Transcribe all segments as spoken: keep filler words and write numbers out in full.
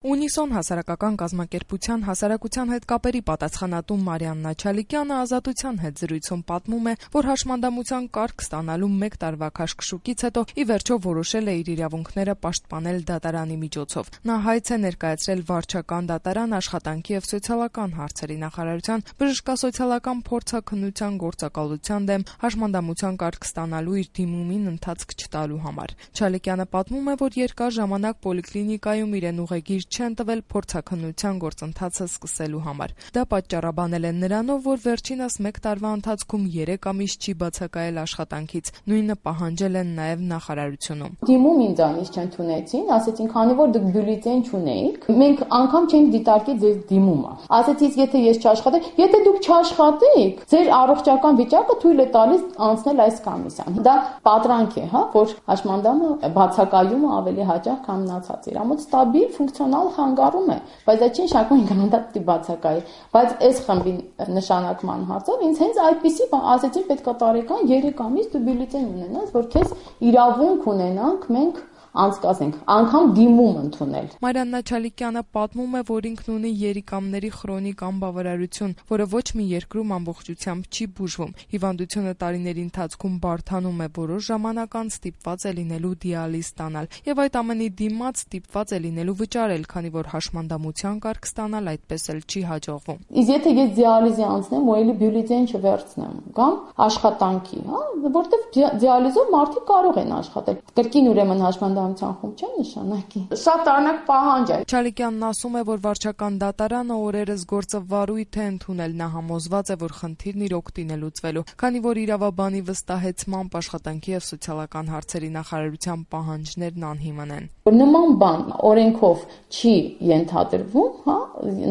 Ունիսոն հասարակական կազմակերպության հասարակության հետ կապերի պատասխանատու Մարիաննա Չալիկյանը Ազատության հետ զրույցում պատմում է, որ հաշմանդամության կարգ ստանալու մեկ տարվա քաշքշուկից հետո ի վերջո որոշել է իր իրավունքները պաշտպանել դատարանի միջոցով։ Նա հայց է ներկայացրել վարչական դատարան, աշխատանքի եւ սոցիալական հարցերի նախարարության, բժշկասոցիալական փորձաքննության գործակալության դեմ հաշմանդամության կարգ ստանալու իր դիմումին ընթացք չտալու համար։ Չալիկյանը պատմում է, որ երկար ժամանակ պոլիկլինիկայում իրեն ուղեգիր չեն տվել փորձաքննության գործընթացը սկսելու համար։ Դա պատճառաբանել են նրանով, որ վերջինս մեկ տարվա ընթացքում երեք ամիս չի բացակայել աշխատանքից, նույնը պահանջել են նաև նախարարությունում։ Դիմում ինձանից չընդունեցին, ասեցին, քանի որ դուք բյուլետեն չունեիք, մենք անգամ չենք դիտարկի ձեր դիմումը։ Ասեցից, եթե ես չաշխատեմ, եթե դուք չաշխատեիք, ձեր առողջական վիճակը թույլ է տալիս անցնել այս կոմիսիան։ Դա պատրանք է, հա, որ հաշմանդամը բացակայումը ավելի հաճախ քան մնացած իր ամոթ ստաբիլ ֆունկցիոնալ խանգարում է, բայց այդ չի նշանակում ինքնուրույն դա պիտի բացակայի, բայց այս խմբի նշանակման հարցով ինձ հենց այդպիսի ասեցին պետք է տարեկան երեք ամիս դու բյուլետեն ունենաս, որ քեզ իրավունք ունենանք մենք անցկացնենք, անգամ դիմում ընդունել։ Մարիաննա Չալիկյանը պատմում է, որ ինքն ունի երիկամների քրոնիկ անբավարարություն, որը ոչ մի երկրում ամբողջությամբ չի բուժվում։ Հիվանդությունը տարիների ընթացքում բարդանում է, որոշ ժամանակ անց ստիպված է լինելու դիալիզ ստանալ, եւ այդ ամենի դիմաց ստիպված է լինելու վճարել, քանի որ հաշմանդամության կարգ ստանալ այդպես էլ չի հաջողվում։ Իսկ եթե ես դիալիզի անցնեմ ու էլի բյուլետեն չվերցնեմ, կամ աշխատանքի, հա, որտեվ դիալիզով մարդիկ կարող են աշխատել։ Կրկին ուրեմն հաշմանդամության խումբ չէ նշանակի։ Շատ տարօրինակ պահանջ է։ Չալիկյանն ասում է, որ վարչական դատարանը օրերս գործը վարույթ է ընդունել, նա համոզված է, որ խնդիրն իր օգտին է լուծվելու, քանի որ իրավաբանի վստահեցմամբ աշխատանքի եւ սոցիալական հարցերի նախարարության պահանջներն անհիմն են։ Նման բան օրենքով չի ենթադրվում, հա,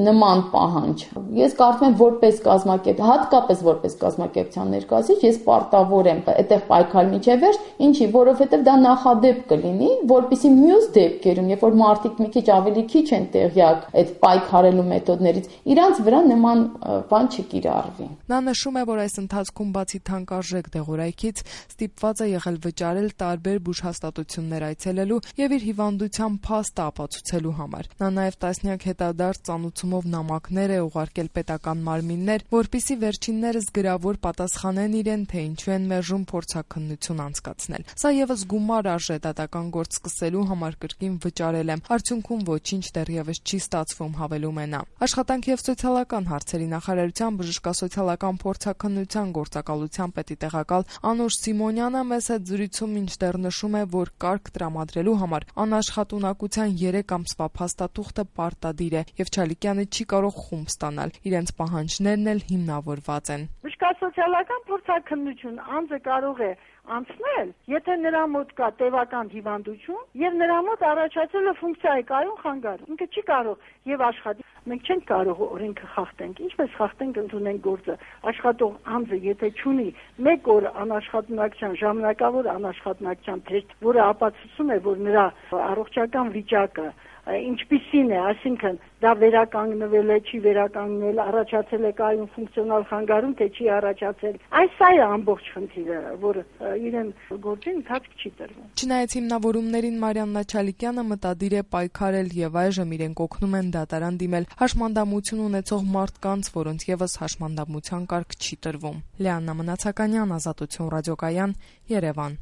նման պահանջ։ Ես կարծում եմ որպես կազմակերպ, հատկապես որպես կազմակերպության ներկայացուցիչ, ես պարտավոր եմ այդտեղ պայքարել մինչև վերջ, ինչի, որովհետեւ դա նախադեպ կլինի, որպեսզի մյուս դեպքերում, երբ որ մարդիկ մի քիչ ավելի քիչ են տեղյակ այդ պայքարելու մեթոդներից, իրանց վրա նման բան չկիրառվի։ Նա նշում է, որ այս ընթացքում բացի թանկարժեք դեղորայքից ստիպված է եղել վճարել տարբեր բուժհաստատություններ այցելելու եւ իր հիվանդության փաստը ապացուցելու համար։ Նա նաեւ տասնյակ հետադարձ ծանուցումով նամակներ է ուղարկել պետական մարմիններ, որպիսի վերջիններս գրավոր պատասխանեն իրեն, թե ինչու են մերժում փորձաքննություն անցկացնել։ Սա եւս գումար արժե, դատական գործ սկսելու համար կրկին վճարել եմ, արդյունքում ոչինչ դեռևս չի ստացվում, հավելում է նա։ Աշխատանքի եւ սոցիալական հարցերի նախարարության բժշկասոցիալական փորձաքննության գործակալության պետի տեղակալ Անուշ Սիմոնյանը մեծ հետ զրույցում մինչդեռ նշում է, որ կարգ տրամադրելու համար անաշխատունակության երեք ամսվա փաստաթուղթը պարտադիր է եւ Չալիկյանը չի կարող խումբ ստանալ, իրենց պահանջներն էլ հիմնավորված են։ Բժշկասոցիալական փորձաքննություն անձը կարող է անցնել, եթե նրա մոտ կա տևական հիվանդություն եւ նրա մոտ առաջացել է ֆունկցիայի կայուն խանգարում։ Ինքը չի կարող եւ աշխատի։ Մենք չենք կարող օրենքը խախտենք։ Ինչպես խախտենք ընդունենք գործը։ Աշխատող անձը եթե չունի մեկ օր անաշխատունակության ժամանակավոր անաշխատունակության թեստ, որը ապացուցում է, որ նրա առողջական վիճակը ինչպիսին է, այսինքն դա վերականգնվել է, չի վերականգնել, առաջացել է կայուն ֆունկցիոնալ խանգարում, թե չի առաջացել։ Այս է ամբողջ խնդիրը, որ իրեն գործի ընթացք չի տրվում։ Չնայած հիմնավորումներին Մարիաննա Չալիկյանը մտադիր է պայքարել եւ այժմ իրենք օգնում են դատարան դիմել հաշմանդամություն ունեցող մարդկանց, որոնց եւս հաշմանդամության կարգ չի տրվում։ Լիաննա Մնացականյան, Ազատություն ռադիոկայան, Երևան։